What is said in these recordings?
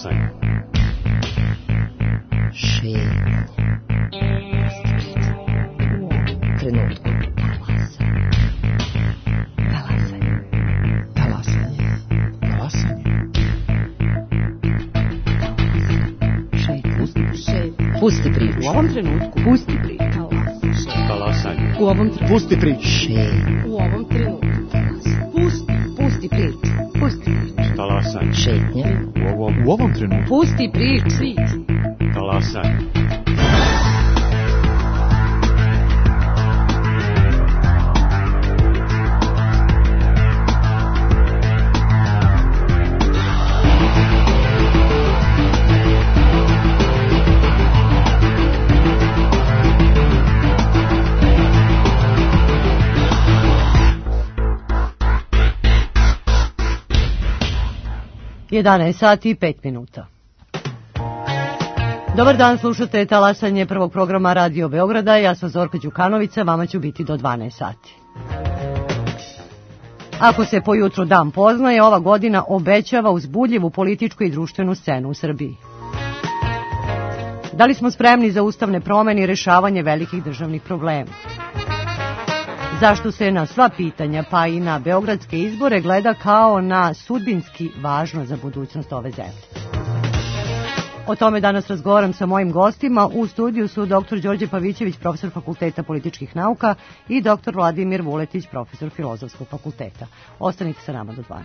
Talasanje. Šetnje. Trenutku. Pusti priču. U ovom trenutku. Pusti priču. Talasanje. U ovom trenutku. Pusti priču. U ovom trenutku. Pusti priču. Pusti priču. Talasanje. Šetnje. U ovom trenutku. Pusti priču. Talasanje. Jedanaest sati i 5 minuta. Dobar dan, slušate Talasanje prvog programa Radio Beograda. Ja sam Zorka Đukanovića, vama ću biti do 12 sati. Ako se po jutru dan poznaje, ova godina obećava uzbudljivu političku i društvenu scenu u Srbiji. Da li smo spremni za ustavne promene i rešavanje velikih državnih problema? Zašto se na sva pitanja, pa i na beogradske izbore, gleda kao na sudbinski važno za budućnost ove zemlje? O tome danas razgovaram sa mojim gostima. U studiju su dr. Đorđe Pavićević, profesor Fakulteta političkih nauka, i dr. Vladimir Vuletić, profesor Filozofskog fakulteta. Ostanite sa nama do 12.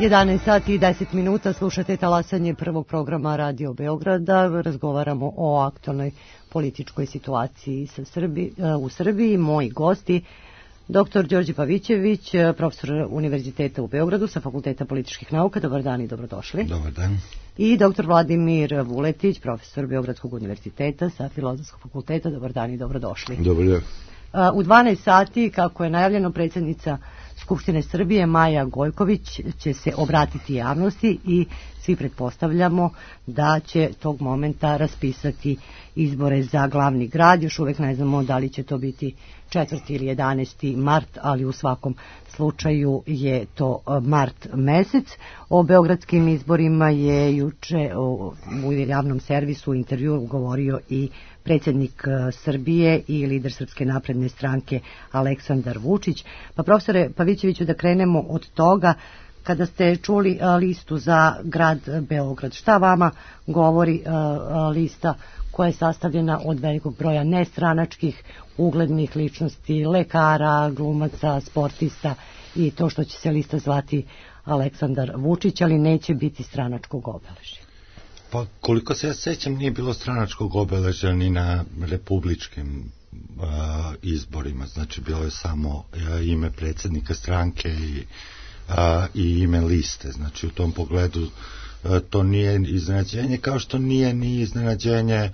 11 sati i 10 minuta, slušate talasanje prvog programa Radio Beograda. Razgovaramo o aktualnoj političkoj situaciji u Srbiji. Moji gosti, dr. Đorđe Pavićević, profesor Univerziteta u Beogradu sa Fakulteta političkih nauka. Dobar dan i dobrodošli. Dobar dan. I dr. Vladimir Vuletić, profesor Beogradskog univerziteta sa Filozofskog fakulteta. Dobar dan i dobrodošli. Dobar dan. U 12 sati, kako je najavljeno, predsjednica Skupštine Srbije Maja Gojković će se obratiti javnosti i svi pretpostavljamo da će tog momenta raspisati izbore za glavni grad. Još uvijek ne znamo da li će to biti 4. ili 11. mart, ali u svakom slučaju je to mart mesec. O beogradskim izborima je juče u javnom servisu u intervju govorio i predsjednik Srbije i lider Srpske napredne stranke Aleksandar Vučić. Pa profesore Pavićeviću, da krenemo od toga, kada ste čuli listu za grad Beograd, šta vama govori lista koja je sastavljena od velikog broja nestranačkih uglednih ličnosti, lekara, glumaca, sportista i to što će se lista zvati Aleksandar Vučić, ali neće biti stranačkog obeležja? Pa koliko se ja sećam, nije bilo stranačkog obeležja ni na republičkim izborima, znači bilo je samo ime predsjednika stranke i ime liste, znači u tom pogledu to nije iznenađenje, kao što nije ni iznenađenje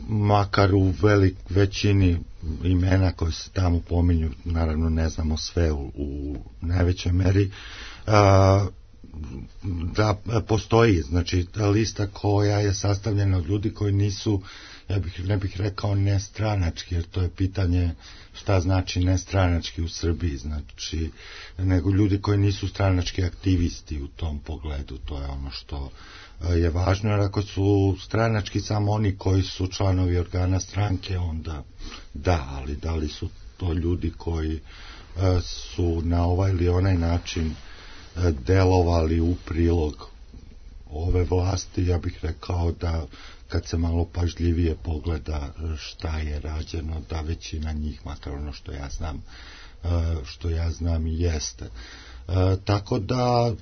makar u većini imena koje se tamo pominju, naravno ne znamo sve u najvećoj meri, da postoji, znači ta lista koja je sastavljena od ljudi koji nisu, ne bih rekao nestranački, jer to je pitanje šta znači nestranački u Srbiji, znači nego ljudi koji nisu stranački aktivisti u tom pogledu, to je ono što je važno, jer ako su stranački samo oni koji su članovi organa stranke, onda da, ali da li su to ljudi koji su na ovaj ili onaj način delovali u prilog ove vlasti, ja bih rekao da kad se malo pažljivije pogleda šta je rađeno, da većina njih, makar ono što ja znam i jeste. Tako da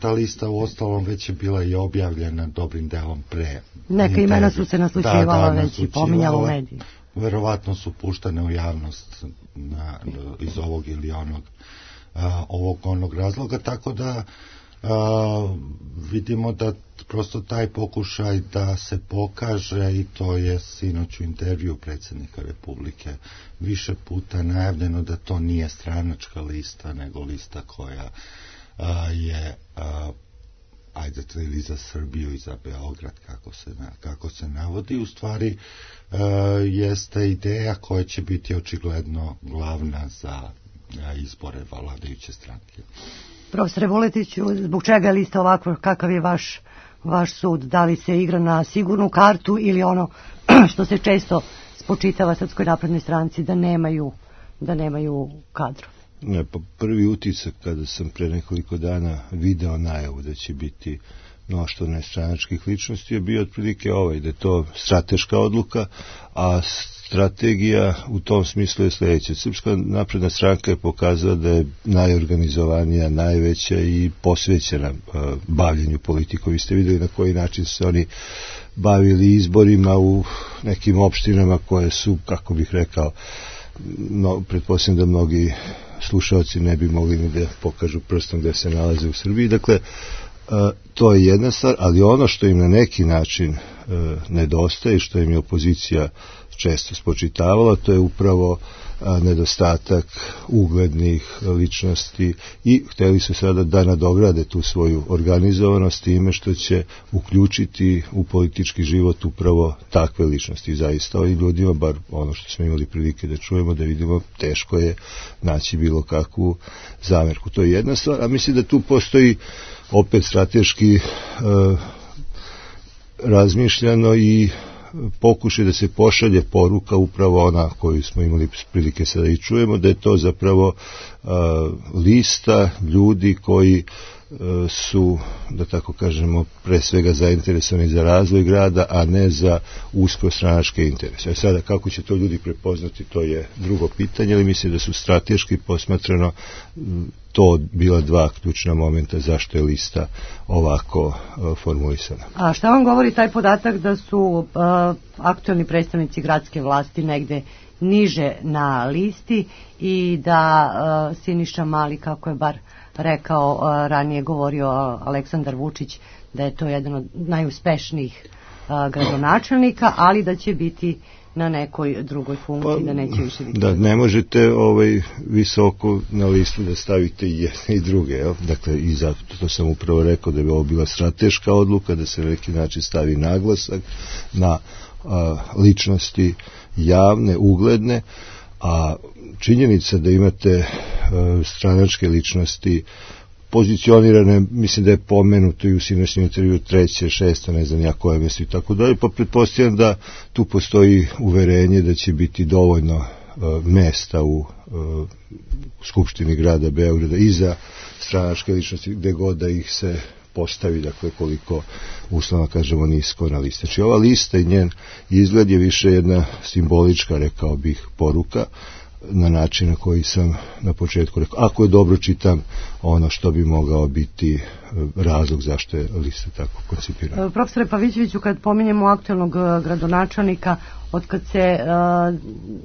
ta lista u ostalom već je bila i objavljena dobrim delom pre. Neka imena su se naslučivala već i pominjala u mediji. Verovatno su puštane u javnost iz ovog ili onog razloga, tako da vidimo da prosto taj pokušaj da se pokaže, i to je sinoć u intervju predsjednika Republike više puta najavljeno, da to nije stranačka lista, nego lista koja je ili za Srbiju i za Beograd, kako se navodi, u stvari jeste ideja koja će biti očigledno glavna za izbore vladajuće stranke. Profesore Vuletiću, zbog čega je lista ovakva, kakav je vaš sud? Da li se igra na sigurnu kartu ili ono što se često spočitava Srpskoj naprednoj stranci, da nemaju kadru? Ne, pa prvi utisak kada sam pre nekoliko dana video najavu da će biti mnoštvo nestranačkih ličnosti je bio otprilike da je to strateška odluka, a strategija u tom smislu je sljedeća. Srpska napredna stranka je pokazala da je najorganizovanija, najveća i posvećena bavljenju politikom. Vi ste vidjeli na koji način se oni bavili izborima u nekim opštinama koje su, kako bih rekao, pretpostavljam da mnogi slušalci ne bi mogli ni da pokažu prstom gde se nalaze u Srbiji. Dakle, to je jedna stvar, ali ono što im na neki način nedostaje, što im je opozicija često spočitavala, to je upravo nedostatak uglednih ličnosti i hteli su sada da nadograde tu svoju organizovanost time što će uključiti u politički život upravo takve ličnosti. Zaista ovim ljudima, bar ono što smo imali prilike da čujemo, da vidimo, teško je naći bilo kakvu zamerku. To je jedna stvar, a mislim da tu postoji opet strateški razmišljano i pokušaj da se pošalje poruka upravo ona koju smo imali prilike sada i čujemo, da je to zapravo lista ljudi koji su, da tako kažemo, pre svega zainteresovani za razvoj grada, a ne za usko stranačke interese. Sada, kako će to ljudi prepoznati, to je drugo pitanje, ali mislim da su strateški posmatrano to bila dva ključna momenta zašto je lista ovako formulisana. A šta vam govori taj podatak da su aktuelni predstavnici gradske vlasti negde niže na listi i da Siniša Mali, kako je bar rekao, ranije govorio Aleksandar Vučić, da je to jedan od najuspešnijih gradonačelnika, ali da će biti na nekoj drugoj funkciji, da neće više biti. Da, ne možete visoko na listu da stavite i jedne i druge, jel? Dakle, i zato to sam upravo rekao da bi ovo bila strateška odluka, da se na neki način stavi naglasak na ličnosti javne, ugledne, a činjenica da imate stranačke ličnosti pozicionirane, mislim da je pomenuto i u sinoćnjem intervju 3., 6., ne znam ja koje mjesto i tako dalje, pa pretpostavljam da tu postoji uverenje da će biti dovoljno mesta u Skupštini grada Beograda i za stranačke ličnosti, gde god da ih se postavi, dakle koliko uslovno kažemo nisko na listi. Znači ova lista i njen izgled je više jedna simbolička, rekao bih, poruka na način na koji sam na početku rekao. Ako je dobro čitam ono što bi mogao biti razlog zašto je lista tako koncipirana. Profesore Pavićeviću, kad pominjemo aktuelnog gradonačelnika, od kad se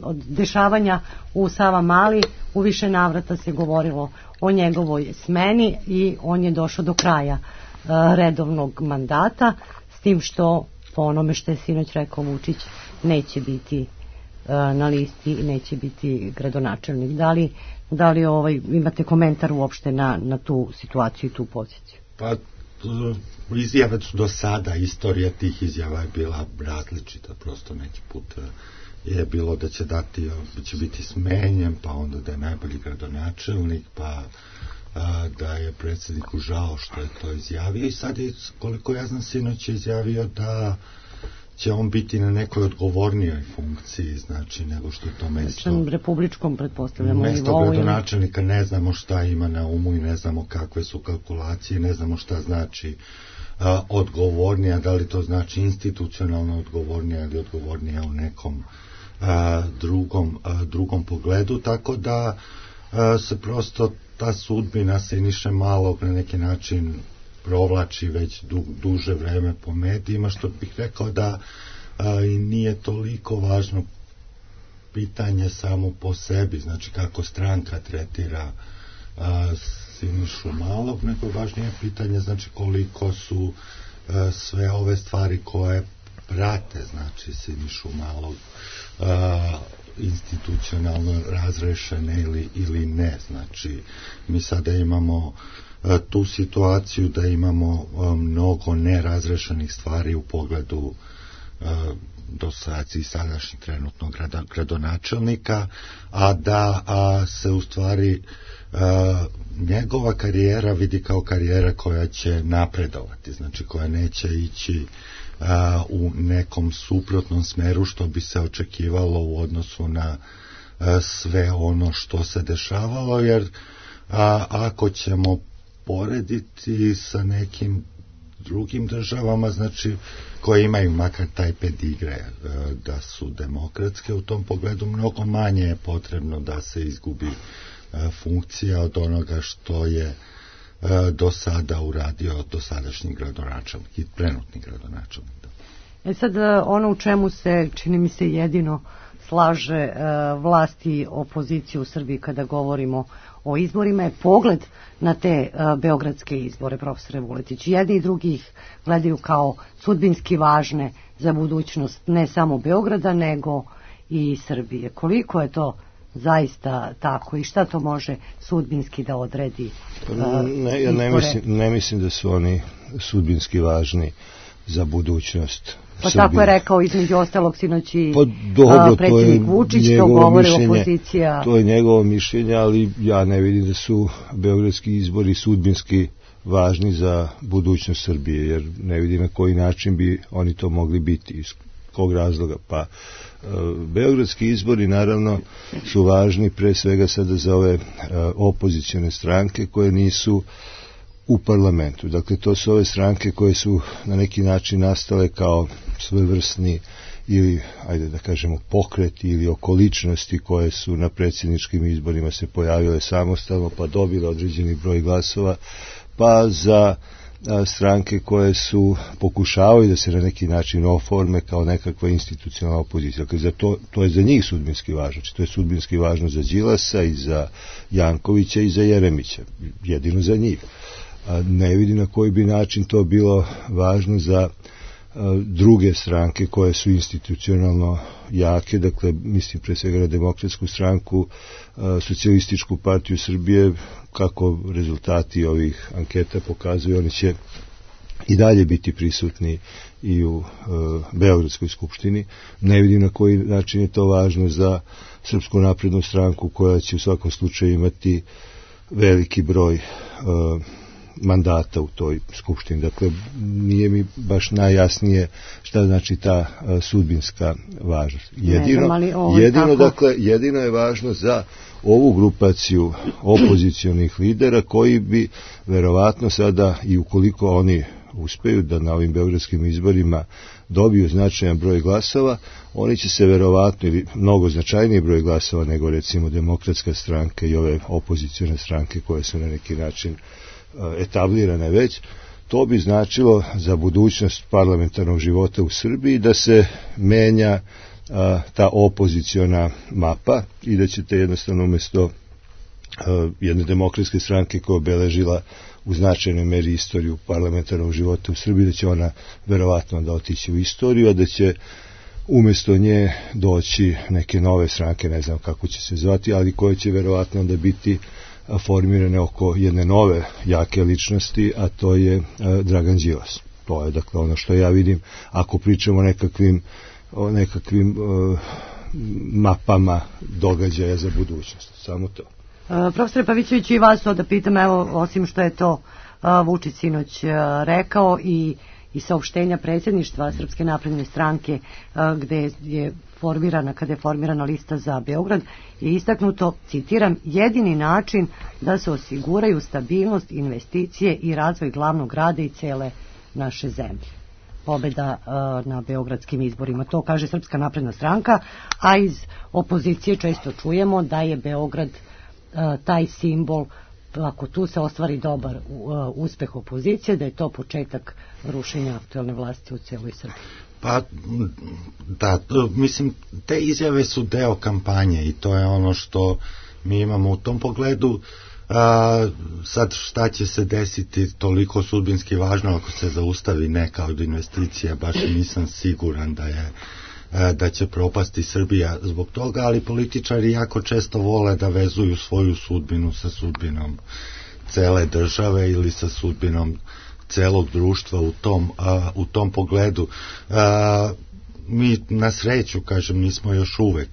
od dešavanja u Savamali u više navrata se govorilo o njegovoj smeni i on je došao do kraja redovnog mandata, s tim što po onome što je sinoć rekao Vučić neće biti na listi i neće biti gradonačelnik. Da li imate komentar uopšte na tu situaciju i tu poziciju? Pa izjave su do sada, istorija tih izjava je bila različita, prosto neki put je bilo da će biti smenjen, pa onda da je najbolji gradonačelnik, pa da je predsjedniku žao što je to izjavio i sad je, koliko ja znam, sinoć je izjavio da će on biti na nekoj odgovornijoj funkciji, znači, nego što je to mesto republičkom, pretpostavljamo, mesto gradonačelnika. Ne znamo šta ima na umu i ne znamo kakve su kalkulacije, ne znamo šta znači odgovornija, da li to znači institucionalno odgovornija ili odgovornija u nekom drugom pogledu, tako da se prosto ta sudbina Siniše Malog na neki način provlači već duže vreme po medijima, što bih rekao da i nije toliko važno pitanje samo po sebi, znači kako stranka tretira Sinišu Malog, nego je važnije pitanje, znači koliko su sve ove stvari koje prate, znači Sinišu Malog institucionalno razrešene ili ne. Znači mi sada imamo tu situaciju da imamo mnogo nerazrešenih stvari u pogledu dosadašnjih sadašnjih trenutnog gradonačelnika, a da se u stvari njegova karijera vidi kao karijera koja će napredovati, znači koja neće ići u nekom suprotnom smeru što bi se očekivalo u odnosu na sve ono što se dešavalo, jer ako ćemo porediti sa nekim drugim državama, znači koje imaju makar taj pedigre da su demokratske, u tom pogledu mnogo manje je potrebno da se izgubi funkcija od onoga što je do sada uradio dosadašnji gradonačelnik i trenutni gradonačelnik. Sad ono u čemu se, čini mi se, jedino slaže vlast i opoziciju u Srbiji kada govorimo o izborima je pogled na te beogradske izbore, profesore Vuletić. Jedni i drugi ih gledaju kao sudbinski važne za budućnost ne samo Beograda nego i Srbije. Koliko je to zaista tako i šta to može sudbinski da odredi ja ne mislim da su oni sudbinski važni za budućnost Pa Srbije. Tako je rekao između ostalog sinoć i predsjednik Vučić, to govori opozicija. To je njegovo mišljenje, ali ja ne vidim da su beogradski izbori sudbinski važni za budućnost Srbije, jer ne vidim na koji način bi oni to mogli biti, iz kog razloga. Pa beogradski izbori naravno su važni pre svega sada za ove opozicione stranke koje nisu u parlamentu. Dakle, to su ove stranke koje su na neki način nastale kao svojevrsni ili, ajde da kažemo, pokreti ili okoličnosti koje su na predsjedničkim izborima se pojavile samostalno, pa dobile određeni broj glasova, pa za stranke koje su pokušavaju da se na neki način oforme kao nekakva institucionalna opozicija. Dakle, to je za njih sudbinski važno. To je sudbinski važno za Đilasa i za Jankovića i za Jeremića. Jedino za njih. Ne vidim na koji bi način to bilo važno za druge stranke koje su institucionalno jake, dakle mislim pre svega na Demokratsku stranku, Socijalističku partiju Srbije. Kako rezultati ovih anketa pokazuju, oni će i dalje biti prisutni i u Beogradskoj skupštini. Ne vidim na koji način je to važno za Srpsku naprednu stranku, koja će u svakom slučaju imati veliki broj mandata u toj skupštini. Dakle, nije mi baš najjasnije šta znači ta sudbinska važnost. Jedino je važno za ovu grupaciju opozicionih lidera koji bi verovatno sada, i ukoliko oni uspeju da na ovim beogradskim izborima dobiju značajan broj glasova, oni će se verovatno, ili mnogo značajniji broj glasova nego recimo Demokratska stranka i ove opozicione stranke koje su na neki način etablirane već, to bi značilo za budućnost parlamentarnog života u Srbiji da se menja ta opoziciona mapa i da ćete jednostavno umjesto jedne demokratske stranke koja obeležila u značajnoj meri istoriju parlamentarnog života u Srbiji, da će ona verovatno onda otići u istoriju, a da će umjesto nje doći neke nove stranke, ne znam kako će se zvati, ali koje će verovatno onda biti formirane oko jedne nove jake ličnosti, a to je Dragan Đilas. To je dakle ono što ja vidim ako pričamo o nekakvim mapama događaja za budućnost. Samo to. Profesore Pavićević, i vas to da pitam, evo, osim što je to Vučić sinoć rekao i saopštenja predsjedništva Srpske napredne stranke gde je kada je formirana lista za Beograd, je istaknuto, citiram, jedini način da se osiguraju stabilnost, investicije i razvoj glavnog grada i cele naše zemlje. Pobeda na beogradskim izborima. To kaže Srpska napredna stranka, a iz opozicije često čujemo da je Beograd taj simbol, ako tu se ostvari dobar uspeh opozicije, da je to početak rušenja aktuelne vlasti u cijeloj Srbiji. Pa, da, mislim, te izjave su deo kampanje i to je ono što mi imamo u tom pogledu. Sad šta će se desiti toliko sudbinski važno ako se zaustavi neka od investicija, baš nisam siguran da će propasti Srbija zbog toga, ali političari jako često vole da vezuju svoju sudbinu sa sudbinom cele države ili sa sudbinom celog društva u tom pogledu. Mi na sreću, kažem, nismo još uvek,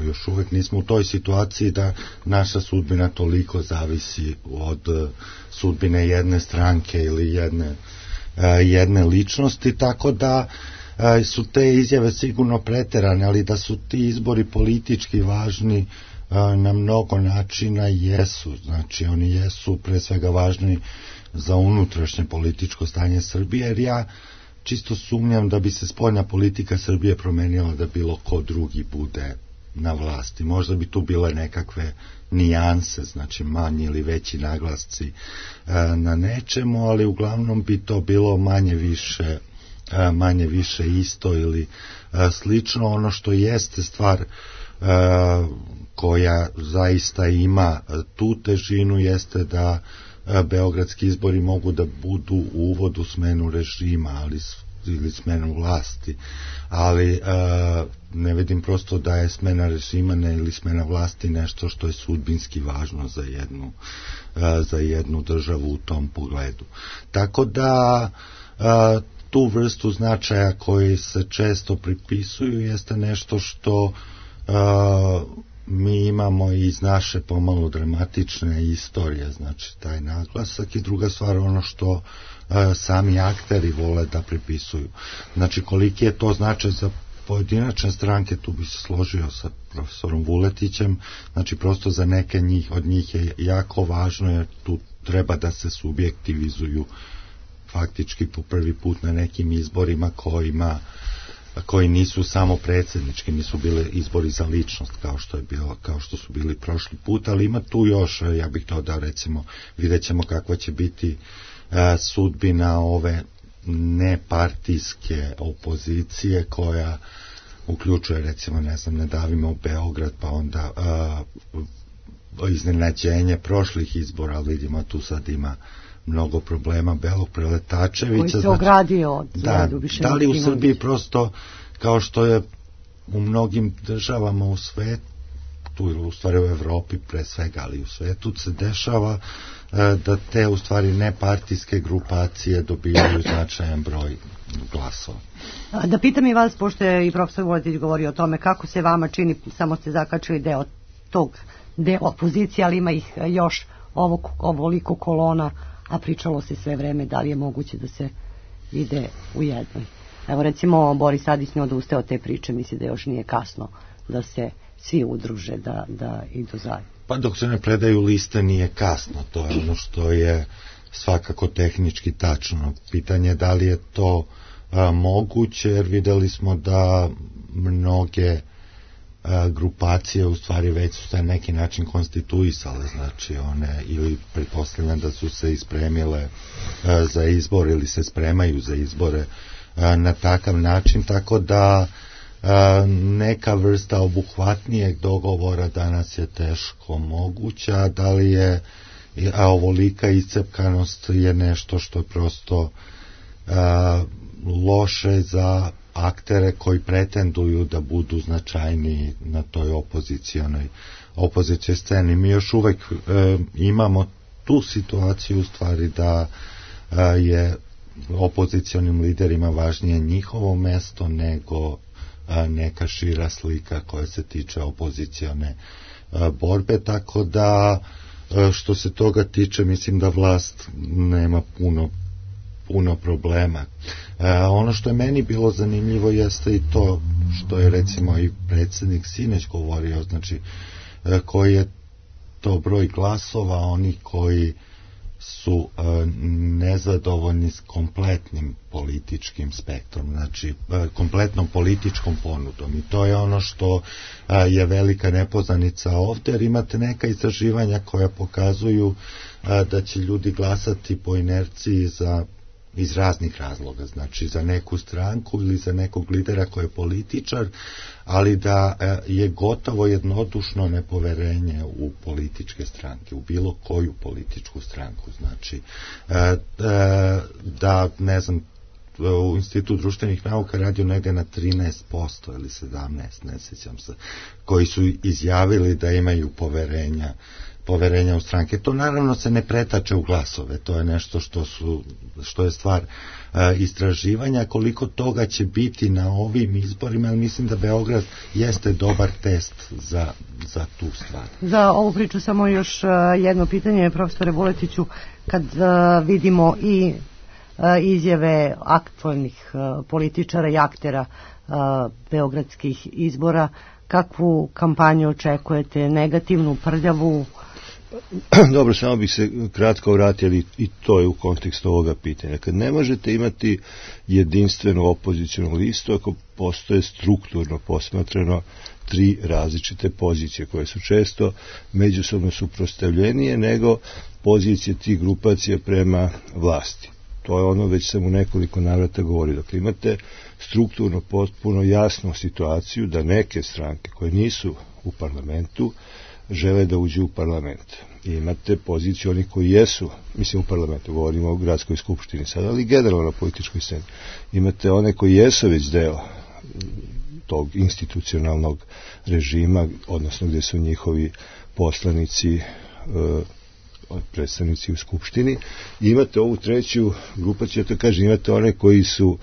još uvek nismo u toj situaciji da naša sudbina toliko zavisi od sudbine jedne stranke ili jedne ličnosti, tako da su te izjave sigurno preterane, ali da su ti izbori politički važni na mnogo načina jesu. Znači, oni jesu pre svega važni za unutrašnje političko stanje Srbije, jer ja čisto sumnjam da bi se spoljna politika Srbije promenila da bilo ko drugi bude na vlasti. Možda bi tu bile nekakve nijanse, znači manji ili veći naglasci na nečemu, ali uglavnom bi to bilo manje više isto ili slično. Ono što jeste stvar koja zaista ima tu težinu jeste da beogradski izbori mogu da budu uvod u smenu režima ili smenu vlasti, ali ne vidim prosto da je smena režima ili smena vlasti nešto što je sudbinski važno za jednu državu u tom pogledu. Tako da tu vrstu značaja koji se često pripisuju jeste nešto što mi imamo iz naše pomalo dramatične istorije, znači taj naglasak, i druga stvar ono što sami akteri vole da pripisuju. Znači koliki je to značaj za pojedinačne stranke, tu bi se složio sa profesorom Vuletićem, znači prosto za neke od njih je jako važno, jer tu treba da se subjektivizuju faktički po prvi put na nekim izborima koji nisu samo predsjednički, nisu bile izbori za ličnost kao što su bili prošli put, ali ima tu još, ja bih dodao, recimo, vidjet ćemo kakva će biti sudbina ove nepartijske opozicije koja uključuje, recimo, ne davimo Beograd, pa onda iznenađenje prošlih izbora, ali vidimo tu sad ima mnogo problema Belog Preletačevića. Koji se ogradio od da li u Srbiji prosto, kao što je u mnogim državama u svetu, ili u stvari u Evropi pre svega, ali u svetu se dešava da te u stvari nepartijske grupacije dobijaju značajan broj glasova. Da pitam i vas, pošto je i profesor Vuletić govorio o tome, kako se vama čini, samo ste zakačili deo opozicije, ali ima ih još ovoliko kolona, a pričalo se sve vreme da li je moguće da se ide u jednoj. Evo, recimo, Boris Tadić ne odustaje od te priče, misli da još nije kasno da se svi udruže, da idu zajedno. Pa dok se ne predaju liste nije kasno, to je ono što je svakako tehnički tačno. Pitanje je da li je to moguće, jer videli smo da mnoge grupacije u stvari već su na neki način konstituisale, znači one, ili pretpostavljam da su se ispremile za izbor ili se spremaju za izbore na takav način, tako da neka vrsta obuhvatnijeg dogovora danas je teško moguća. Da li je ovolika iscepkanost je nešto što je prosto loše za aktere koji pretenduju da budu značajniji na toj opozicijoj sceni. Mi još uvek imamo tu situaciju u stvari da je opozicionim liderima važnije njihovo mesto nego neka šira slika koja se tiče opozicione borbe, tako da što se toga tiče mislim da vlast nema puno problema. Ono što je meni bilo zanimljivo jeste i to što je recimo i predsjednik sinoć govorio, znači koji je to broj glasova onih koji su nezadovoljni s kompletnim političkim spektrom, znači kompletnom političkom ponudom, i to je ono što je velika nepoznanica ovdje, jer imate neka istraživanja koja pokazuju da će ljudi glasati po inerciji iz raznih razloga, znači za neku stranku ili za nekog lidera koji je političar, ali da je gotovo jednodušno nepoverenje u političke stranke, u bilo koju političku stranku, znači da, ne znam, u Institut društvenih nauka radio negdje na 13% ili 17%, ne sjećam se, koji su izjavili da imaju poverenja u stranke. To naravno se ne pretače u glasove, to je nešto što je stvar istraživanja. Koliko toga će biti na ovim izborima, ali mislim da Beograd jeste dobar test za tu stvar. Za ovu priču samo još jedno pitanje, profesore Vuletiću, kad vidimo i izjave aktualnih političara i aktera beogradskih izbora, kakvu kampanju očekujete, negativnu, prljavu? Dobro, samo bih se kratko vratili, i to je u kontekstu ovoga pitanja. Kad ne možete imati jedinstvenu opozicijnu listu, ako postoje strukturno posmatrano tri različite pozicije koje su često međusobno suprotstavljenije nego pozicije tih grupacija prema vlasti. To je ono, već sam u nekoliko navrata govorio. Dakle, imate strukturno potpuno jasnu situaciju da neke stranke koje nisu u parlamentu žele da uđu u parlament. I imate poziciju onih koji jesu, mislim u parlamentu, govorimo o gradskoj skupštini sad, ali generalno na političkoj sceni. Imate one koji jesu već deo tog institucionalnog režima, odnosno gdje su njihovi poslanici, predstavnici u skupštini. I imate ovu treću grupaciju, ja to kažem, imate one koji su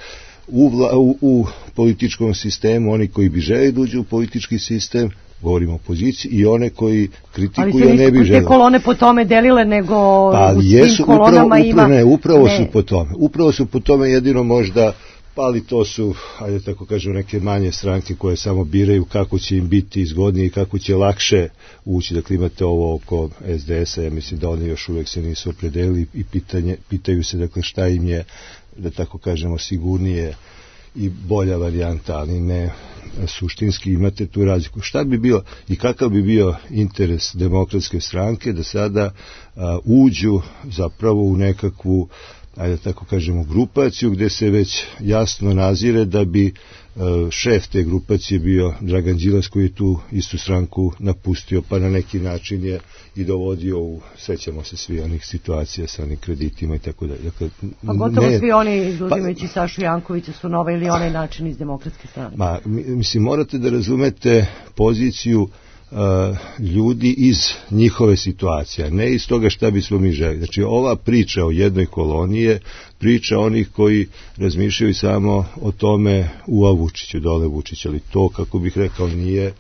u političkom sistemu, oni koji bi želi da uđu u politički sistem, govorimo o opoziciji, i one koji kritikuju, ne bi žele. Ali se nisu te kolone po tome delile, nego u svim kolonama ima... Upravo su po tome. Jedino možda Pa ali to su, ajde tako kažem, neke manje stranke koje samo biraju kako će im biti izgodnije i kako će lakše ući. Dakle, imate ovo oko SDS-a, ja mislim da oni još uvek se nisu opredelili i pitaju se, dakle, šta im je, da tako kažemo, sigurnije i bolja varijanta, ali ne suštinski. Imate tu razliku. Šta bi bio i kakav bi bio interes Demokratske stranke da sada uđu zapravo u nekakvu, ajde tako kažemo, grupaciju gde se već jasno nazire da bi šef te grupacije bio Dragan Đilas, koji je tu istu stranku napustio, pa na neki način je i dovodio u, sećamo se svi onih situacija sa onim kreditima i tako dalje. Dakle, pa gotovo svi oni, izuzimajući Sašu Jankovića, su na ovaj ili onaj način iz Demokratske strane. Mislim, morate da razumete poziciju ljudi iz njihove situacije, ne iz toga šta bismo mi želi. Znači, ova priča o jednoj koloniji je priča onih koji razmišljaju samo o tome Vučiću, dole Vučić, ali to, kako bih rekao, nije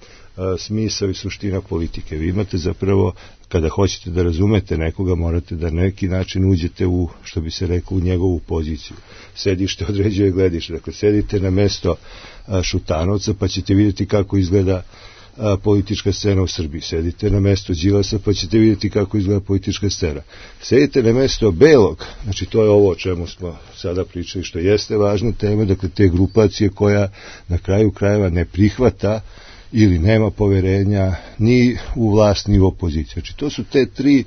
smisao i suština politike. Vi imate zapravo, kada hoćete da razumete nekoga, morate da na neki način uđete u, što bi se rekao, u njegovu poziciju. Sedište određuje gledište. Dakle, sedite na mesto Šutanovca, pa ćete vidjeti kako izgleda politička scena u Srbiji. Sedite na mesto Đilasa, pa ćete vidjeti kako izgleda politička scena. Sedite na mesto Belog, znači to je ovo o čemu smo sada pričali, što jeste važna tema, dakle te grupacije koja na kraju krajeva ne prihvata ili nema poverenja ni u vlast ni u opoziciju. Znači to su te tri,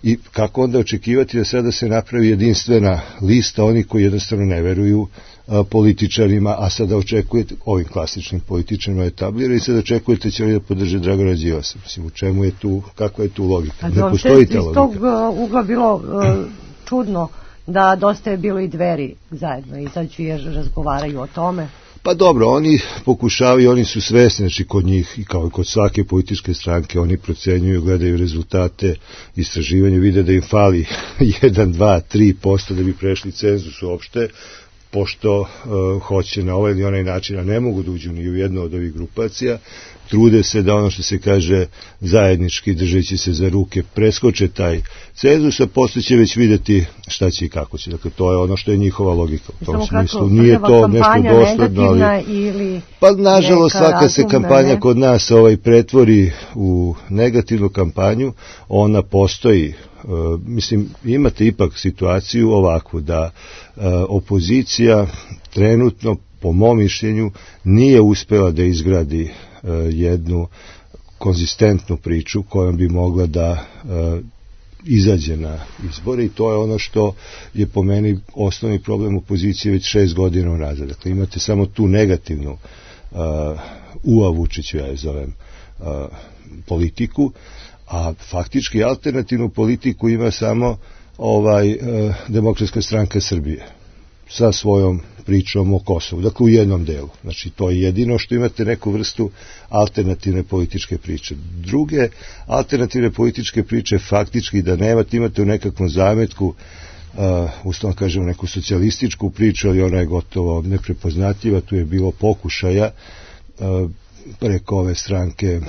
i kako onda očekivati da sada se napravi jedinstvena lista oni koji jednostavno ne veruju političarima, a sada očekujete, ovim klasičnim političarima etablira, i sada očekujete će li da podrže Dragana Đilasa. Mislim, u čemu je tu, kakva je tu logika? Ne postoji ta logika. Iz tog ugla bilo čudno da dosta je bilo i Dveri zajedno izađu jer razgovaraju o tome. Pa dobro, oni pokušavaju, oni su svesni, znači kod njih i kao i kod svake političke stranke, oni procenjuju, gledaju rezultate istraživanja, vide da im fali 1, 2, 3% da bi prešli cenzus uopšte, pošto hoće na ovaj ili onaj način, a ne mogu da uđu ni u jednu od ovih grupacija, trude se da ono što se kaže zajednički, držeći se za ruke, preskoče taj cenzus, a posle će već videti šta će i kako će. Dakle, to je ono što je njihova logika. U tom smislu nije to nešto dosledno, ali pa nažalost svaka se kampanja kod nas pretvori u negativnu kampanju, ona postoji. Mislim, imate ipak situaciju ovakvu da opozicija trenutno, po mom mišljenju, nije uspela da izgradi jednu konzistentnu priču kojom bi mogla da izađe na izbore, i to je ono što je po meni osnovni problem opozicije već 6 godina unazad. Dakle, imate samo tu negativnu Vučiću, ja je zovem, politiku, a faktički alternativnu politiku ima samo Demokratska stranka Srbije sa svojom pričom o Kosovu, dakle u jednom delu. Znači, to je jedino što imate neku vrstu alternativne političke priče. Druge alternativne političke priče faktički da nemate, imate u nekakvom zametku, uslovno kažemo neku socijalističku priču, ali ona je gotovo neprepoznatljiva. Tu je bilo pokušaja preko ove stranke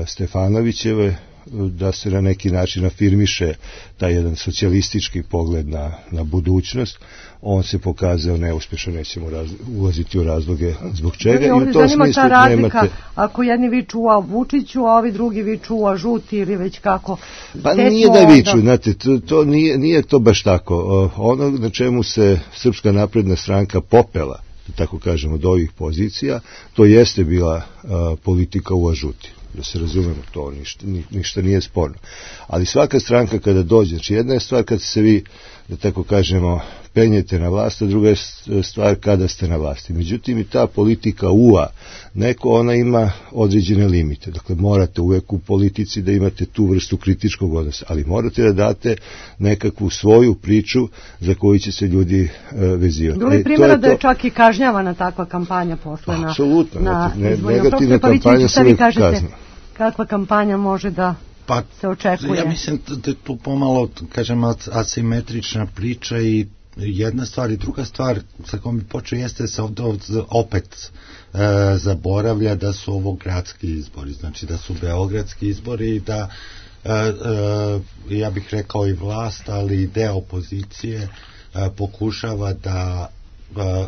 Stefanovićeve da se na neki način afirmiše taj jedan socijalistički pogled na budućnost. On se pokazao neuspešan, nećemo ulaziti u razloge zbog čega. I u tom smislu nemate... Ako jedni viču u Vučiću, a ovi drugi viču u žuti ili već kako... Pa nije da viču, znate, to nije to baš tako. Ono na čemu se Srpska napredna stranka popela, da tako kažemo, od ovih pozicija, to jeste bila politika u žuti. Da se razumemo, to ništa nije sporno. Ali svaka stranka kada dođe, znači jedna je stvar kad se vi, da tako kažemo, penjete na vlast, a druga je stvar kada ste na vlasti. Međutim, i ta politika ona ima određene limite. Dakle, morate uvek u politici da imate tu vrstu kritičkog odnosa, ali morate da date nekakvu svoju priču za koju će se ljudi vezivati. Bilo je primjera da je čak i kažnjavana takva kampanja posle na... Apsolutno, negativna kampanja se uvek kazna. Kakva kampanja može da se očekuje? Ja mislim da je tu pomalo, kažem, asimetrična priča i jedna stvar i druga stvar sa kojom bi počeo jeste da se opet zaboravlja da su ovo gradski izbori, znači da su beogradski izbori i da ja bih rekao i vlast, ali i deo opozicije pokušava da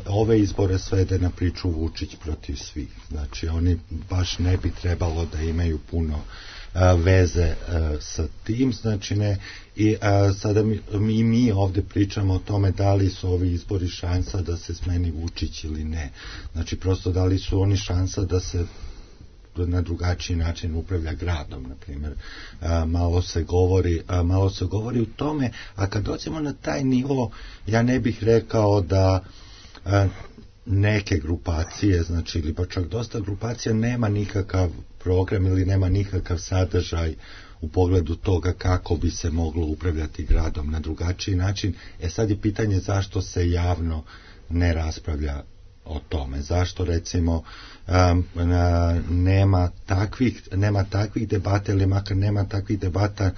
ove izbore svede na priču Vučić protiv svih. Znači, oni baš ne bi trebalo da imaju puno veze sa tim, znači ne, i sada mi ovde pričamo o tome da li su ovi izbori šansa da se smeni Vučić ili ne. Znači, prosto da li su oni šansa da se na drugačiji način upravlja gradom, na primjer. Malo se govori u tome, a kad dođemo na taj nivo, ja ne bih rekao da neke grupacije, znači, ili pa čak dosta grupacija nema nikakav program ili nema nikakav sadržaj u pogledu toga kako bi se moglo upravljati gradom na drugačiji način. Sad je pitanje zašto se javno ne raspravlja o tome. Zašto, recimo, nema takvih debata, ili makar nema takvih debata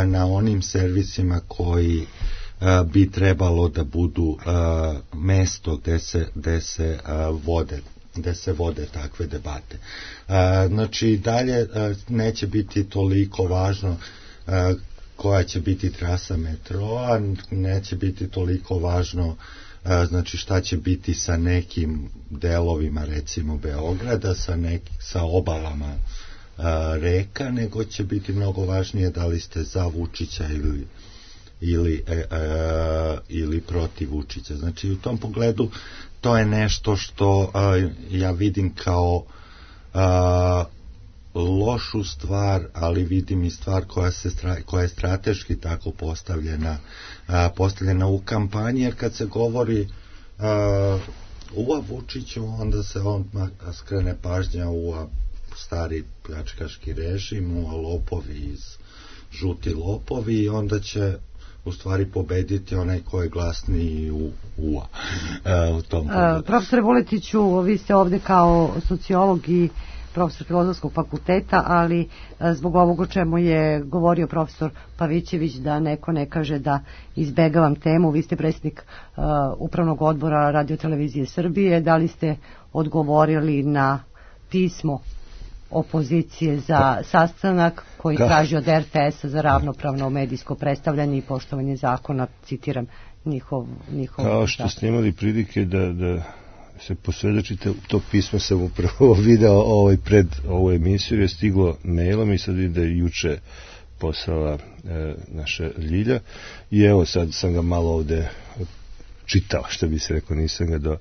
na onim servisima koji bi trebalo da budu mesto gde se vode takve debate. Znači, dalje neće biti toliko važno koja će biti trasa metroa, neće biti toliko važno znači šta će biti sa nekim delovima, recimo Beograda, sa obalama reka, nego će biti mnogo važnije da li ste za Vučića ili protiv Vučića. Znači, u tom pogledu to je nešto što ja vidim kao lošu stvar, ali vidim i stvar koja je strateški tako postavljena u kampanji, jer kad se govori u Vučiću, onda se skrene pažnja u stari pljačkaški režim, u lopovi žuti lopovi, i onda će u stvari pobediti onaj ko je glasniji u tom pogledu. Profesore Vuletiću, vi ste ovde kao sociolog i profesor Filozofskog fakulteta, ali zbog ovog o čemu je govorio profesor Pavićević, da neko ne kaže da izbegavam temu, vi ste predsjednik Upravnog odbora Radio-televizije Srbije, da li ste odgovorili na pismo opozicije za sastanak koji traži od RTS-a za ravnopravno medijsko predstavljanje i poštovanje zakona, citiram njihov kao što ste imali prilike da se posvedočite, to pismo sam upravo video pred ovu emisiju, je stiglo mailom i sad vidim da je juče poslala naša Ljilja, i evo sad sam ga malo ovde čitao, što bi se rekao, nisam ga do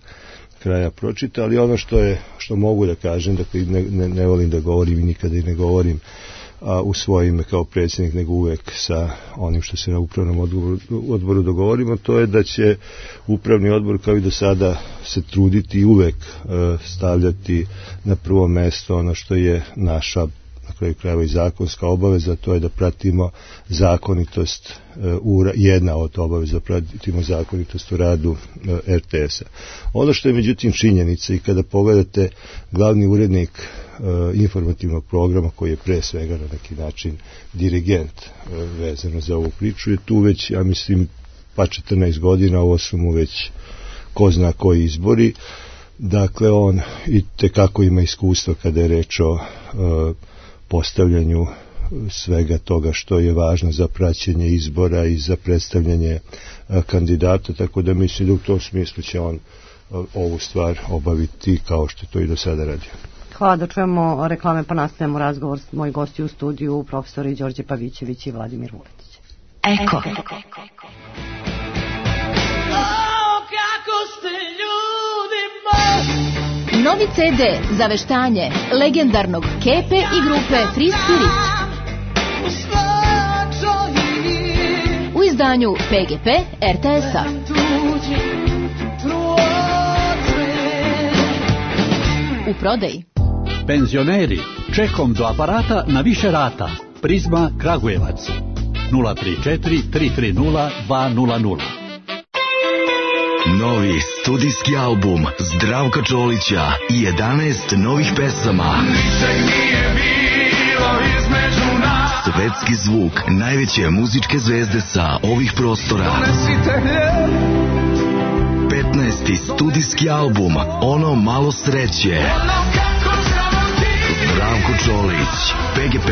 kraja pročitao, ali ono što mogu da kažem, dakle ne volim da govorim i nikada i ne govorim u svoje ime kao predsjednik, nego uvek sa onim što se na upravnom odboru dogovorimo, to je da će upravni odbor kao i do sada se truditi i uvek stavljati na prvo mesto ono što je naša, na kraju krajeva, i zakonska obaveza, to je da pratimo zakonitost, jedna od obaveza, pratimo zakonitost u radu RTS-a. Ono što je međutim činjenica, i kada pogledate glavni urednik informativnog programa, koji je pre svega na neki način dirigent vezano za ovu priču, je tu već, ja mislim, pa 14 godina, ovo su mu već ko zna koji izbori. Dakle, on i tekako ima iskustva kada je reč o postavljanju svega toga što je važno za praćenje izbora i za predstavljanje kandidata, tako da mislim da u tom smislu će on ovu stvar obaviti kao što to i do sada radio. Hvala, da čujemo reklame pa nastavljamo razgovor s moji gosti u studiju, profesori Đorđe Pavićević i Vladimir Vuletić. Eko. Novi CD za veštanje legendarnog Kepe i grupe Free Spirit u izdanju PGP RTS-a. U prodaji. Penzioneri, čekom do aparata na više rata. Prizma Kragujevac 034 330 200. Novi studijski album Zdravka Čolića i 11 novih pesama. Svetski zvuk najveće muzičke zvezde sa ovih prostora. 15. studijski album Ono malo sreće. Zdravko Čolić, PGP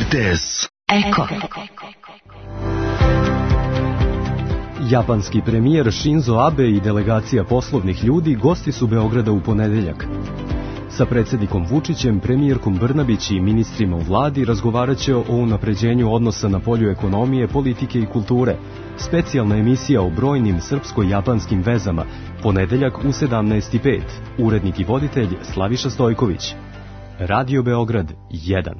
RTS. Eko. Japanski premijer Shinzo Abe i delegacija poslovnih ljudi gosti su Beograda u ponedeljak. Sa predsjednikom Vučićem, premijerkom Brnabić i ministrima u vladi razgovarat će o unapređenju odnosa na polju ekonomije, politike i kulture. Specijalna emisija o brojnim srpsko-japanskim vezama, ponedeljak u 17:05. Urednik i voditelj Slaviša Stojković. Radio Beograd 1.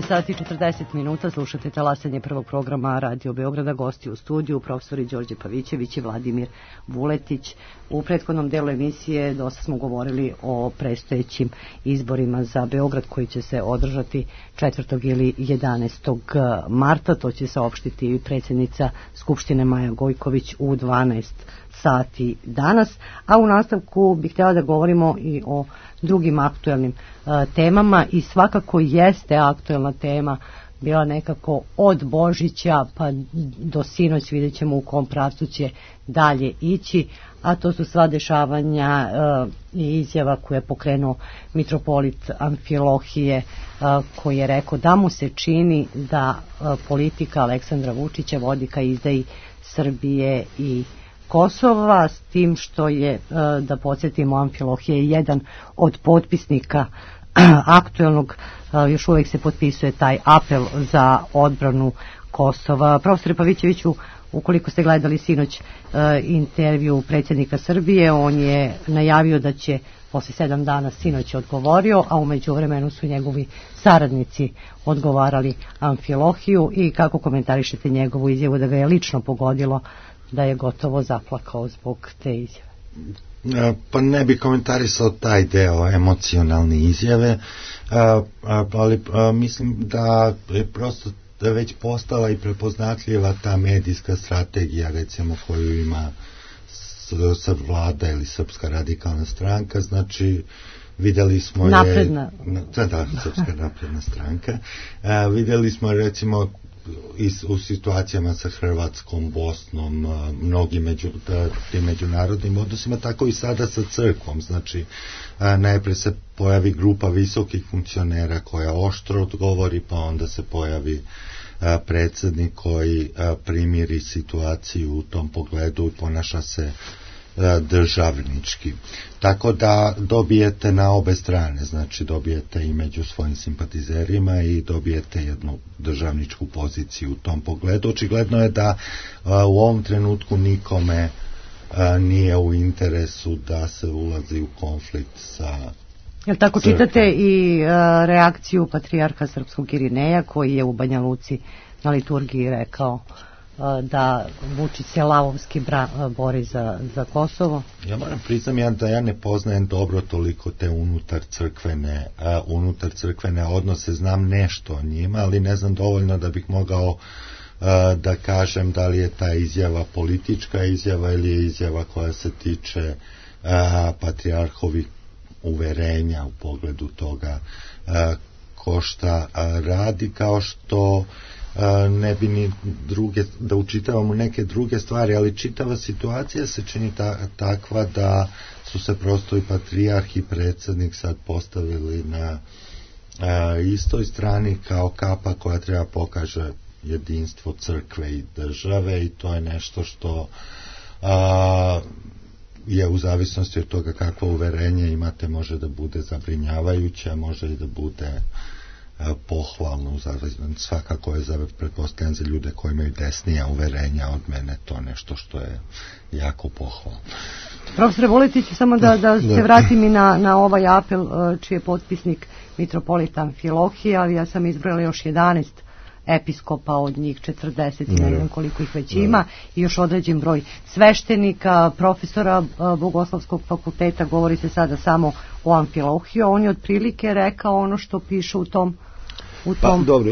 Sati 40 minuta, slušate talasanje prvog programa Radio Beograda, gosti u studiju, profesori Đorđe Pavićević i Vladimir Vuletić. U prethodnom delu emisije dosta smo govorili o predstojećim izborima za Beograd koji će se održati 4. ili 11. marta. To će saopštiti predsjednica Skupštine Maja Gojković u 12 sati danas, a u nastavku bih htjela da govorimo i o drugim aktuelnim temama i svakako jeste aktuelna tema bila nekako od Božića pa do sinoć, vidjet ćemo u kom pravcu će dalje ići, a to su sva dešavanja i izjava koje je pokrenuo mitropolit Amfilohije, koji je rekao da mu se čini da politika Aleksandra Vučića vodi ka izdaji Srbije i Kosova, s tim što je, da podsjetimo, Amfilohije je jedan od potpisnika aktuelnog, još uvijek se potpisuje taj apel za odbranu Kosova. Profesore Pavićeviću, ukoliko ste gledali sinoć intervju predsjednika Srbije, on je najavio da će posle 7 dana, sinoć je odgovorio, a u međuvremenu su njegovi saradnici odgovarali Amfilohiju, i kako komentarišete njegovu izjavu da ga je lično pogodilo, da je gotovo zaplakao zbog te izjave? Pa ne bi komentarisao taj deo emocionalne izjave, ali mislim da je prosto već postala i prepoznatljiva ta medijska strategija, recimo, koju ima vlada ili Srpska radikalna stranka. Znači, videli smo napredna. Srpska napredna stranka. Videli smo, recimo, u situacijama sa Hrvatskom, Bosnom, mnogim tim međunarodnim odnosima, tako i sada sa crkvom. Znači, najprije se pojavi grupa visokih funkcionera koja oštro odgovori, pa onda se pojavi predsjednik koji primiri situaciju u tom pogledu i ponaša se državnički. Tako da dobijete na obe strane, znači dobijete i među svojim simpatizerima i dobijete jednu državničku poziciju u tom pogledu. Očigledno je da u ovom trenutku nikome nije u interesu da se ulazi u konflikt sa Jel tako crkvom. Čitate i reakciju patrijarha srpskog Irineja, koji je u Banja Luci na liturgiji rekao da Vučić se lavovski bori za Kosovo? Ja moram priznam da ja ne poznajem dobro toliko te unutar crkvene odnose, znam nešto o njima, ali ne znam dovoljno da bih mogao da kažem da li je ta izjava politička izjava ili je izjava koja se tiče patrijarhovih uverenja u pogledu toga ko šta radi, kao što ne bi ni druge, da učitavamo neke druge stvari, ali čitava situacija se čini takva da su se prosto i patrijarh i predsjednik sad postavili na istoj strani kao kapa koja treba pokaže jedinstvo crkve i države, i to je nešto što je u zavisnosti od toga kakvo uverenje imate, može da bude zabrinjavajuće, može i da bude pohvalno, svakako je pretpostavljam za ljude koji imaju desnija uverenja od mene to nešto što je jako pohvalno. Profesore Vuletić, samo da se vratim i na ovaj apel čiji je potpisnik mitropolit Amfilohije, ali ja sam izbrojala još 11 episkopa, od njih 40 i ne znam koliko ih već ima, i još određen broj sveštenika, profesora Bogoslovskog fakulteta. Govori se sada samo o Amfilohiju. On je otprilike rekao ono što piše u tom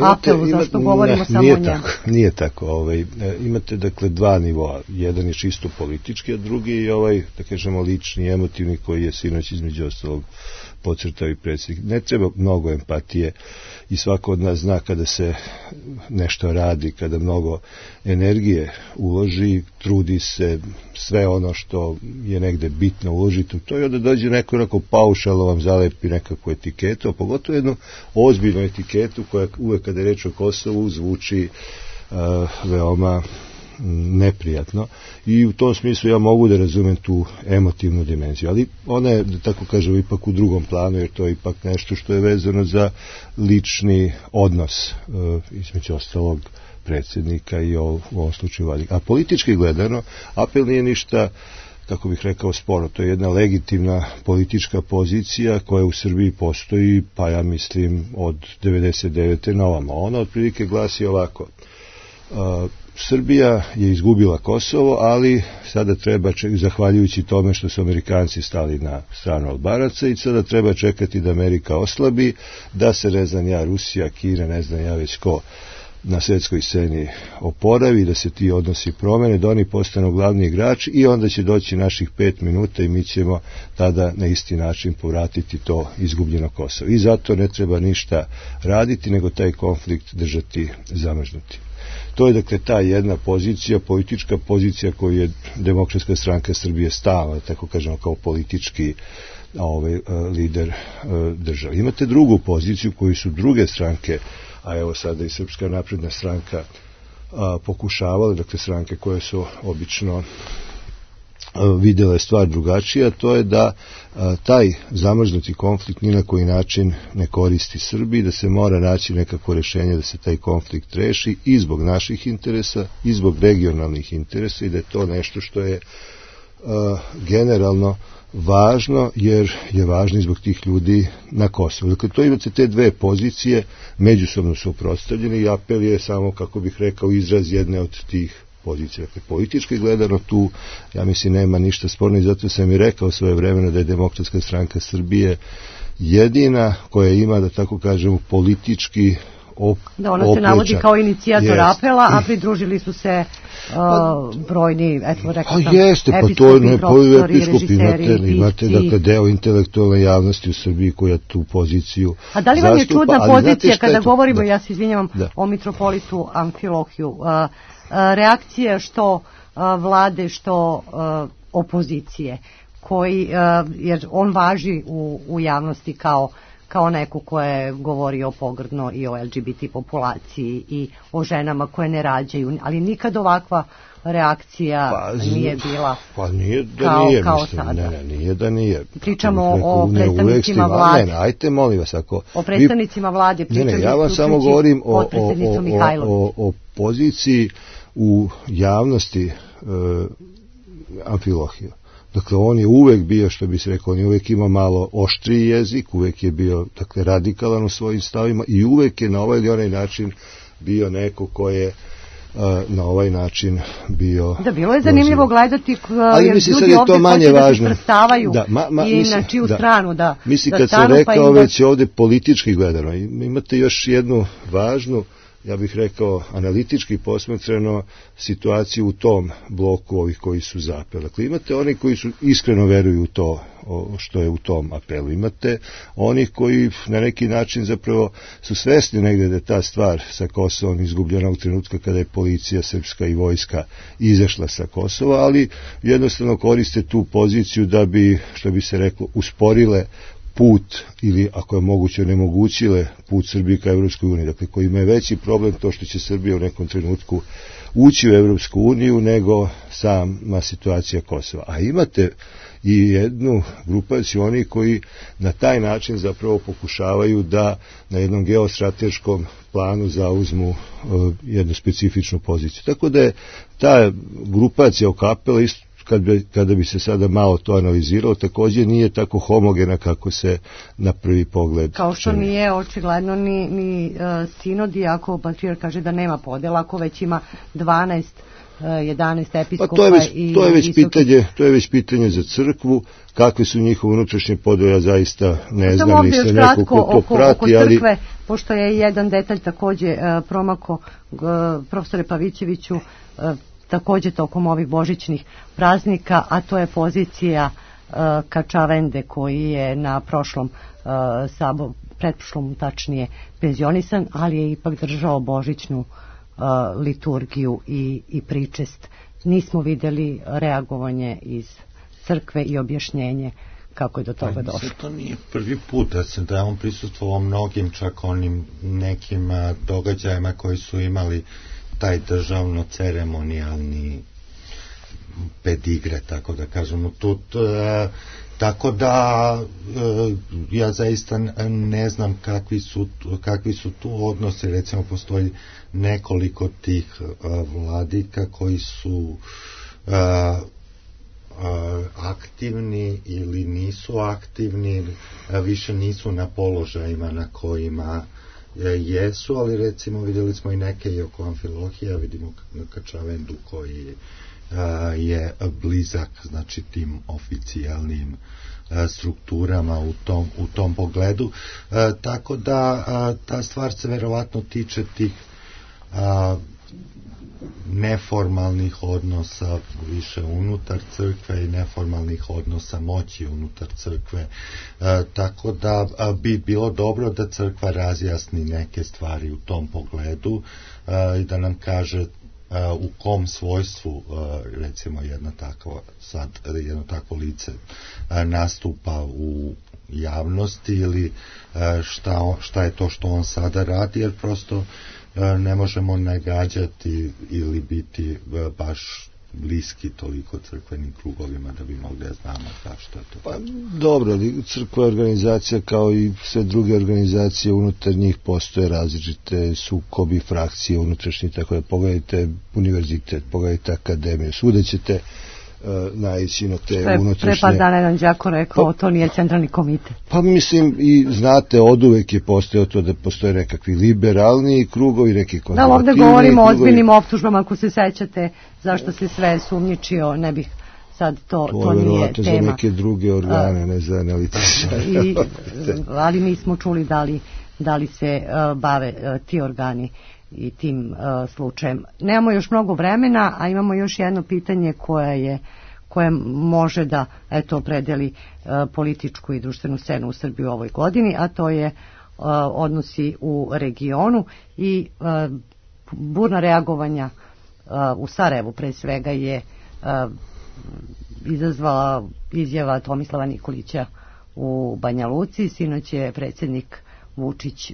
apelu, zašto govorimo samo o njemu? Nije tako. Imate dakle dva nivoa. Jedan je čisto politički, a drugi je da kažemo lični, emotivni, koji je sinoć između ostalog podcrtao i predsjednik. Ne treba mnogo empatije i svako od nas zna kada se nešto radi, kada mnogo energije uloži, trudi se, sve ono što je negde bitno uložiti u to i onda dođe neko onako paušalo vam zalepi nekakvu etiketu, a pogotovo jednu ozbiljnu etiketu koja uvek kada je reč o Kosovu zvuči veoma neprijatno i u tom smislu ja mogu da razumem tu emotivnu dimenziju, ali ona je, da tako kažem, ipak u drugom planu, jer to je ipak nešto što je vezano za lični odnos između ostalog predsjednika i u ovom slučaju vlade. A politički gledano, apel nije ništa, kako bih rekao, sporo. To je jedna legitimna politička pozicija koja u Srbiji postoji, pa ja mislim od 99. na ovamo. Ona otprilike glasi ovako: Srbija je izgubila Kosovo, ali sada treba, zahvaljujući tome što su Amerikanci stali na stranu Albanaca, i sada treba čekati da Amerika oslabi, da se, ne znam ja, Rusija, Kina, ne znam ja već ko, na svjetskoj sceni oporavi, da se ti odnosi promene, da oni postanu glavni igrači i onda će doći naših 5 minuta i mi ćemo tada na isti način povratiti to izgubljeno Kosovo. I zato ne treba ništa raditi, nego taj konflikt držati zamrznuti. To je dakle ta jedna pozicija, politička pozicija koju je Demokratska stranka Srbije stalno, tako kažemo, kao politički lider države. Imate drugu poziciju koju su druge stranke, a evo sada i Srpska napredna stranka pokušavale, dakle stranke koje su obično vidjela je stvar drugačija, to je da taj zamrznuti konflikt ni na koji način ne koristi Srbiji, da se mora naći nekako rješenje da se taj konflikt reši i zbog naših interesa i zbog regionalnih interesa i da je to nešto što je generalno važno, jer je važno zbog tih ljudi na Kosovu. Dakle, to imate te dve pozicije međusobno suprotstavljene i apel je samo, kako bih rekao, izraz jedne od tih pozicija. Dakle, politički gledano tu, ja mislim, nema ništa sporno i zato sam i rekao svoje vremeno da je Demokratska stranka Srbije jedina koja ima, da tako kažemo, politički da ona se navodi kao inicijator apela, a pridružili su se brojni, eto rekao sam, episkopi, profesori, režiseri. Imate dakle deo intelektualne javnosti u Srbiji koja tu poziciju zastupa. A da li vam je čudna pozicija kada govorimo, ja se izvinjavam, o mitropolitu Amfilohiju, reakcija što vlade, što opozicije, koji, jer on važi u javnosti kao neko ko je govorio pogrdno i o LGBT populaciji i o ženama koje ne rađaju, ali nikad ovakva reakcija nije bila nije da nije, kao mislim, sada. Ne, nije da nije. Pričamo o predstavnicima vlade. Ajte, molim vas, o predstavnicima vlade pričamo. Ja vam samo govorim o poziciji u javnosti Amfilohija. Dakle, on je uvek bio, što bi se rekao, on je uvek imao malo oštriji jezik, uvek je bio, dakle, radikalan u svojim stavima i uvek je na ovaj ili onaj način bio neko ko je na ovaj način bio... Da, bilo je zanimljivo gledati, jer ljudi ovdje hoće da se prstavaju i na čiju stranu da stanu. Mislim, kad sam rekao već ovdje politički gledano, imate još jednu važnu, ja bih rekao, analitički posmatrano situaciju u tom bloku ovih koji su za apel. Dakle, imate oni koji su iskreno veruju u to što je u tom apelu. Imate onih koji na neki način zapravo su svesni negde da je ta stvar sa Kosovom izgubljena u trenutka kada je policija srpska i vojska izašla sa Kosova, ali jednostavno koriste tu poziciju da bi, što bi se reklo, usporile put ili, ako je moguće, onemogućile put Srbije ka Evropskoj uniji. Dakle, koji ima veći problem to što će Srbija u nekom trenutku ući u Evropsku uniju nego sama situacija Kosova. A imate i jednu grupaciju oni koji na taj način zapravo pokušavaju da na jednom geostrateškom planu zauzmu jednu specifičnu poziciju. Tako da je ta grupacija oko apela isto, kada bi se sada malo to analiziralo, također nije tako homogena kako se na prvi pogled kao što nije očigledno ni sinod, iako patrijarh kaže da nema podela, ako već ima 12 11 episkopa. To je već pitanje za crkvu, kakve su njihove unutrašnje podele, ja zaista ne znam, nisam neko ko to prati, ali crkve, pošto je jedan detalj također promako profesore Pavićeviću, također tokom ovih božićnih praznika, a to je pozicija Kačavende koji je na prošlom pretprošlom tačnije penzionisan, ali je ipak držao božićnu liturgiju i pričest. Nismo vidjeli reagovanje iz crkve i objašnjenje kako je do toga došlo. To nije prvi put da je on prisustvovao mnogim čak onim nekim događajima koji su imali taj državno-ceremonijalni pedigre, tako da kažemo. Tako da ja zaista ne znam kakvi su tu odnosi. Recimo postoji nekoliko tih vladika koji su aktivni ili nisu aktivni, više nisu na položajima na kojima jesu, ali recimo vidjeli smo i neke i oko Amfilohija, vidimo Kačavendu koji je blizak, znači, tim oficijalnim strukturama u tom pogledu, tako da ta stvar se verovatno tiče tih neformalnih odnosa više unutar crkve i neformalnih odnosa moći unutar crkve, tako da bi bilo dobro da crkva razjasni neke stvari u tom pogledu i da nam kaže u kom svojstvu recimo jedno takvo lice nastupa u javnosti ili šta je to što on sada radi, jer prosto ne možemo nagađati ili biti baš bliski toliko crkvenim krugovima da bi mogli da znamo što je to. Pa dobro, crkva je organizacija kao i sve druge organizacije, unutar njih postoje različite sukobi, frakcije unutrašnje, tako da pogledajte univerzitet, pogledajte akademiju, svuda ćete naići na te unutrašnje... Pre par dana jedan đako rekao, to nije centralni komitet. Pa mislim, i znate, oduvek je postojao to da postoje nekakvi liberalni krugovi, neki konzervativni. Da, ovdje govorimo o ozbiljnim optužbama, ako se sećate zašto se sve sumnjičio, ne bih sad to nije tema. To je za neke druge organe, ne za analitičare. Ali nismo čuli da li se bave ti organi i tim slučajem. Nemamo još mnogo vremena, a imamo još jedno pitanje koje može da opredeli političku i društvenu scenu u Srbiji u ovoj godini, a to je odnosi u regionu i burna reagovanja u Sarajevu pre svega je izazvala izjava Tomislava Nikolića u Banja Luci. Sinoć je predsjednik Vučić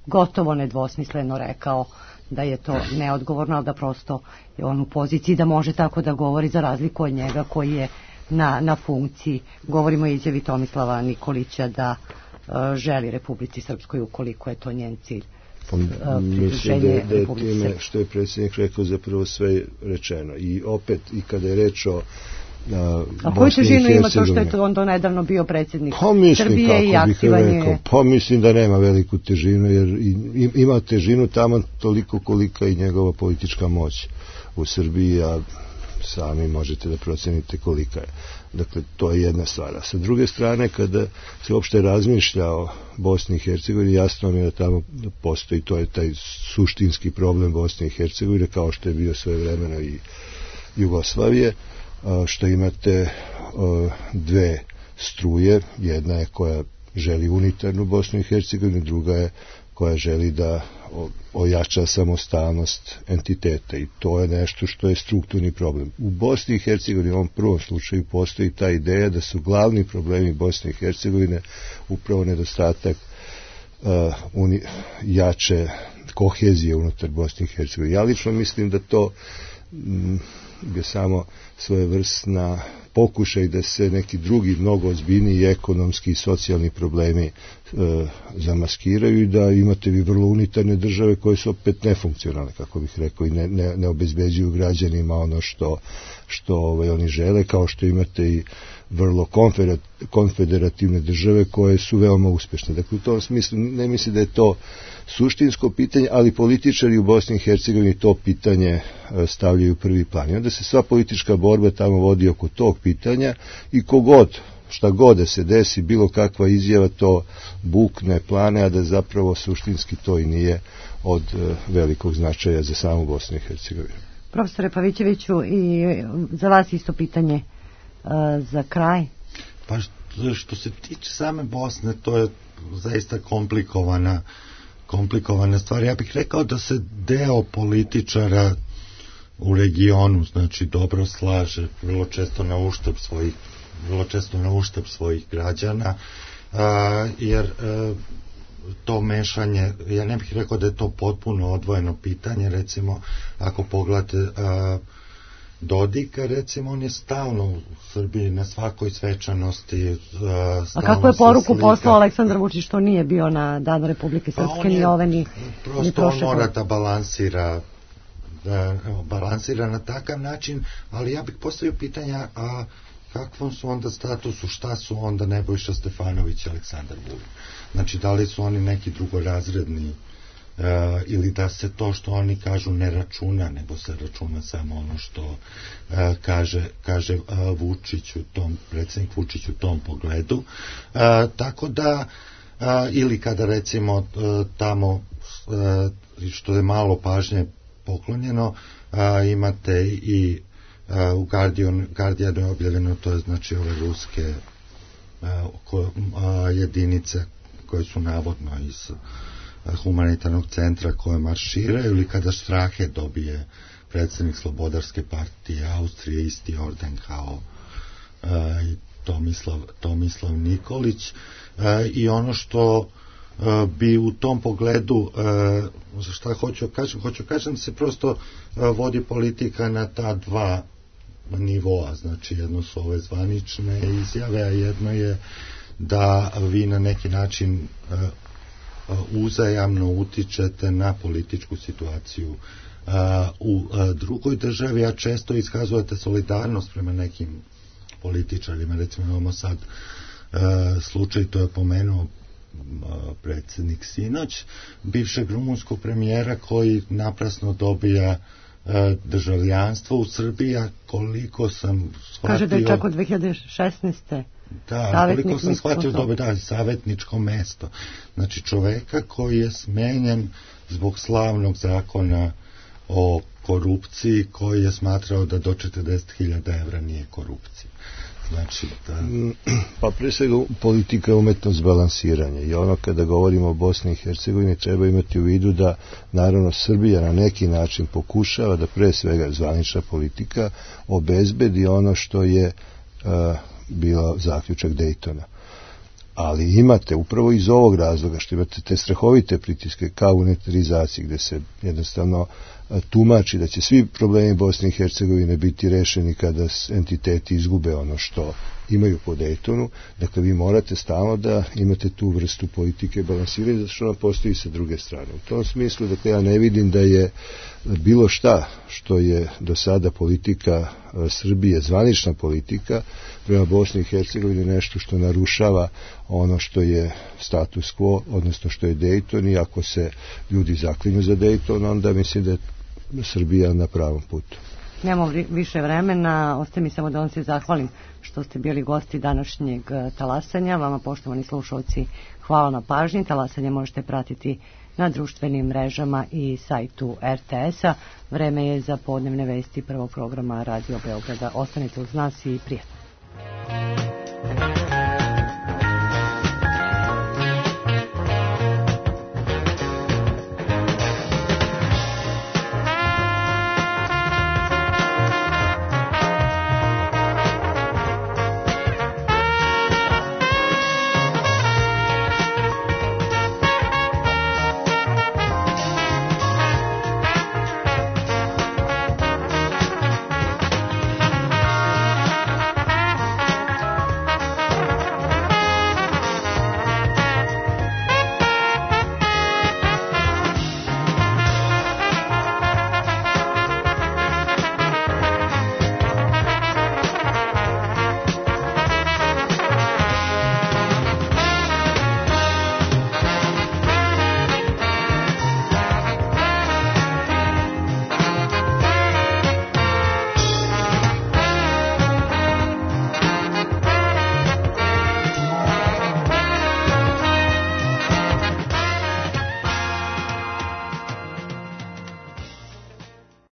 gotovo nedvosmisleno rekao da je to neodgovorno, ali da prosto je on u poziciji da može tako da govori, za razliku od njega koji je na funkciji. Govorimo o izjavi Tomislava Nikolića da želi Republici Srpskoj ukoliko je to njen cilj. Mislim da je time što je predsjednik rekao zapravo sve rečeno. I opet, i kada je reč o a koju težinu ima to što je to on nedavno bio predsjednik Srbije i aktivan je? Pa mislim da nema veliku težinu, jer ima težinu tamo toliko kolika i njegova politička moć u Srbiji, a sami možete da procenite kolika je. Dakle, to je jedna stvar. A sa druge strane, kada se uopšte razmišlja o Bosni i Hercegovini, jasno mi je da tamo postoji, to je taj suštinski problem Bosne i Hercegovine, kao što je bio svojevremeno i Jugoslavije, što imate dve struje, jedna je koja želi unitarnu Bosnu i Hercegovinu, druga je koja želi da ojača samostalnost entiteta, i to je nešto što je strukturni problem. U Bosni i Hercegovini u ovom prvom slučaju postoji ta ideja da su glavni problemi Bosne i Hercegovine upravo nedostatak jače kohezije unutar Bosne i Hercegovine. Ja lično mislim da to je samo svojevrsna pokušaj da se neki drugi mnogo ozbiljniji ekonomski i socijalni problemi zamaskiraju i da imate vi vrlo unitarne države koje su opet nefunkcionalne, kako bih rekao, i ne obezbeđuju građanima ono što oni žele, kao što imate i vrlo konfederativne države koje su veoma uspešne. Dakle, u tom smislu ne mislim da je to suštinsko pitanje, ali političari u Bosni i Hercegovini to pitanje stavljaju u prvi plan. I onda se sva politička borba tamo vodi oko tog pitanja i šta god da se desi, bilo kakva izjava, to bukne plane, a da zapravo suštinski to i nije od velikog značaja za samu Bosnu i Hercegovinu. Profesore Pavićeviću, i za vas isto pitanje za kraj. Pa što se tiče same Bosne, to je zaista komplikovana stvar. Ja bih rekao da se deo političara u regionu, znači, dobro slaže, vrlo često na uštrb svojih građana, jer to mešanje, ja ne bih rekao da je to potpuno odvojeno pitanje. Recimo, ako pogledate Dodika, recimo, on je stalno u Srbiji na svakoj svečanosti. A kakvu je poruku poslao Aleksandar Vučić što nije bio na Danu Republike Srpske, ni ove ni prosto on mora da balansira na takav način, ali ja bih postavio pitanja, a kakvom su onda statusu, šta su onda Nebojša Stefanović i Aleksandar Vulin? Znači, da li su oni neki drugorazredni, ili da se to što oni kažu ne računa, nego se računa samo ono što kaže Vučić predsjednik Vučić u tom pogledu. Tako da, ili kada recimo tamo, što je malo pažnje poklonjeno, imate i u Guardianu je objavljeno, to je znači ove ruske jedinice koje su navodno iz humanitarnog centra koje marširaju, ili kada Strahe dobije predsjednik Slobodarske partije Austrije isti orden kao i Tomislav Nikolić, i ono što bi u tom pogledu, šta hoću kažem da se prosto vodi politika na ta dva nivoa, znači jedno su ove zvanične izjave, a jedno je da vi na neki način uzajamno utičete na političku situaciju u drugoj državi, a često iskazujete solidarnost prema nekim političarima. Recimo imamo sad slučaj, to je pomenuo predsjednik sinoć, bivšeg rumunskog premijera koji naprasno dobija državljanstvo u Srbiji, a koliko sam shvatio... Kaže da je čak od 2016. Da, koliko sam shvatio dobija savjetničko mesto. Znači čoveka koji je smenjen zbog slavnog zakona o korupciji, koji je smatrao da do 40.000 evra nije korupcija. Znači, pa pre svega politika je umetnost balansiranja, i ono kada govorimo o Bosni i Hercegovini treba imati u vidu da naravno Srbija na neki način pokušava da pre svega zvanična politika obezbedi ono što je bila zaključak Dejtona. Ali imate upravo iz ovog razloga što imate te strahovite pritiske kao unitarizaciji, gde se jednostavno tumači da će svi problemi Bosne i Hercegovine biti rešeni kada entiteti izgube ono što imaju po Dejtonu. Dakle, vi morate stalno da imate tu vrstu politike balansiranja, zato što ona postoji sa druge strane. U tom smislu, dakle, ja ne vidim da je bilo šta što je do sada politika Srbije, zvanična politika prema Bosni i Hercegovini, nešto što narušava ono što je status quo, odnosno što je Dejton, i ako se ljudi zaklinju za Dejton, onda mislim da je Srbija na pravom putu. Nemamo više vremena, ostaje mi samo da vam se zahvalim što ste bili gosti današnjeg talasanja. Vama, poštovani slušalci, hvala na pažnji. Talasanje možete pratiti na društvenim mrežama i sajtu RTS-a. Vreme je za podnevne vesti prvog programa Radio Beograda. Ostanite uz nas i prijatno.